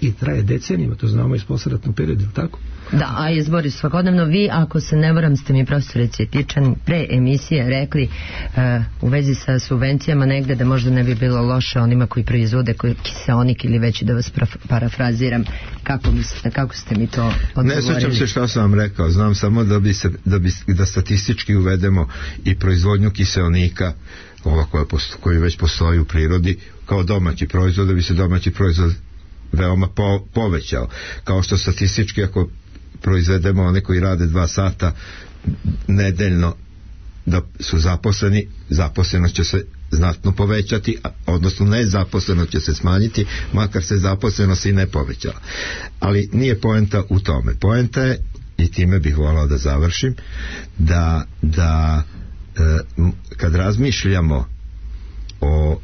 i traje decenijima, to znamo iz posleratnog perioda, tako? Da, a izbori svakodnevno. Vi, ako se ne varam, ste mi profesore Cvjetičan pre emisije rekli u vezi sa subvencijama negde da možda ne bi bilo loše onima koji proizvode kiseonik ili već da vas parafraziram. Kako mislite, kako ste mi to odgovorili? Ne sjećam se šta sam vam rekao, znam samo da statistički uvedemo i proizvodnju kiseonika koji već postoji u prirodi kao domaći proizvod, da bi se domaći proizvod veoma povećao. Kao što statistički ako proizvedemo one koji rade 2 sata nedeljno da su zaposleni, zaposlenost će se znatno povećati, odnosno nezaposlenost će se smanjiti, makar se zaposlenost i ne povećala. Ali nije poenta u tome. Poenta je, i time bih volao da završim, da kad razmišljamo o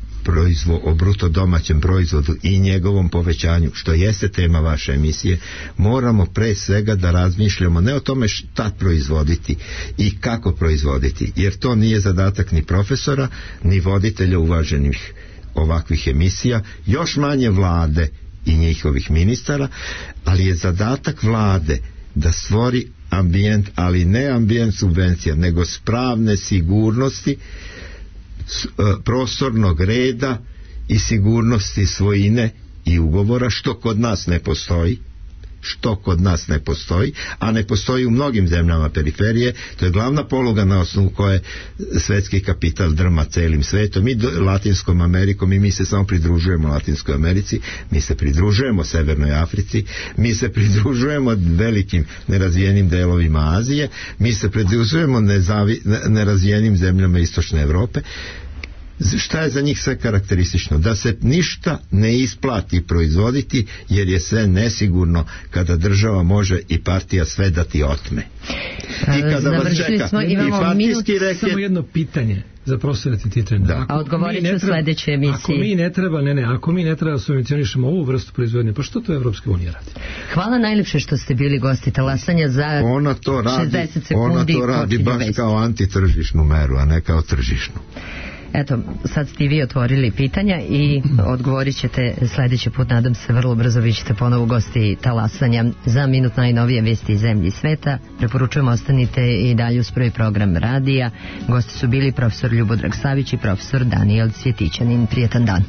bruto domaćem proizvodu i njegovom povećanju, što jeste tema vaše emisije, moramo pre svega da razmišljamo ne o tome šta proizvoditi i kako proizvoditi, jer to nije zadatak ni profesora, ni voditelja uvaženih ovakvih emisija, još manje vlade i njihovih ministara, ali je zadatak vlade da stvori ambijent, ali ne ambijent subvencija, nego spravne sigurnosti, prostornog reda i sigurnosti svojine i ugovora, što kod nas ne postoji, a ne postoji u mnogim zemljama periferije. To je glavna poluga na osnovu koje svetski kapital drma celim svetom i Latinskom Amerikom, i mi se samo pridružujemo Latinskoj Americi, mi se pridružujemo Severnoj Africi, mi se pridružujemo velikim nerazvijenim delovima Azije, mi se pridružujemo nerazvijenim zemljama Istočne Evrope. Šta je za njih sve karakteristično? Da se ništa ne isplati proizvoditi, jer je sve nesigurno kada država može i partija sve da ti otme. I kada vas čeka i partijski reket... Samo jedno pitanje za profesora Cvjetičana. A odgovorit ću u sledećoj emisiji. Ako mi ne treba subvencionišemo ovu vrstu proizvodnje, pa što to Evropska unija radi? Hvala najlepše što ste bili gosti Talasanja za 60 sekundi. Ona to radi baš kao antitržišnu meru, a ne kao tržišnu. Eto, sad ste i vi otvorili pitanja i odgovorit ćete sledeći put, nadam se vrlo brzo, vi ćete ponovo gosti Talasanja za minut najnovije vesti iz zemlje i sveta. Preporučujem, ostanite i dalje uz prvi program radija. Gosti su bili profesor Ljubodrag Savić i profesor Danijel Cvjetićanin. Prijetan dan.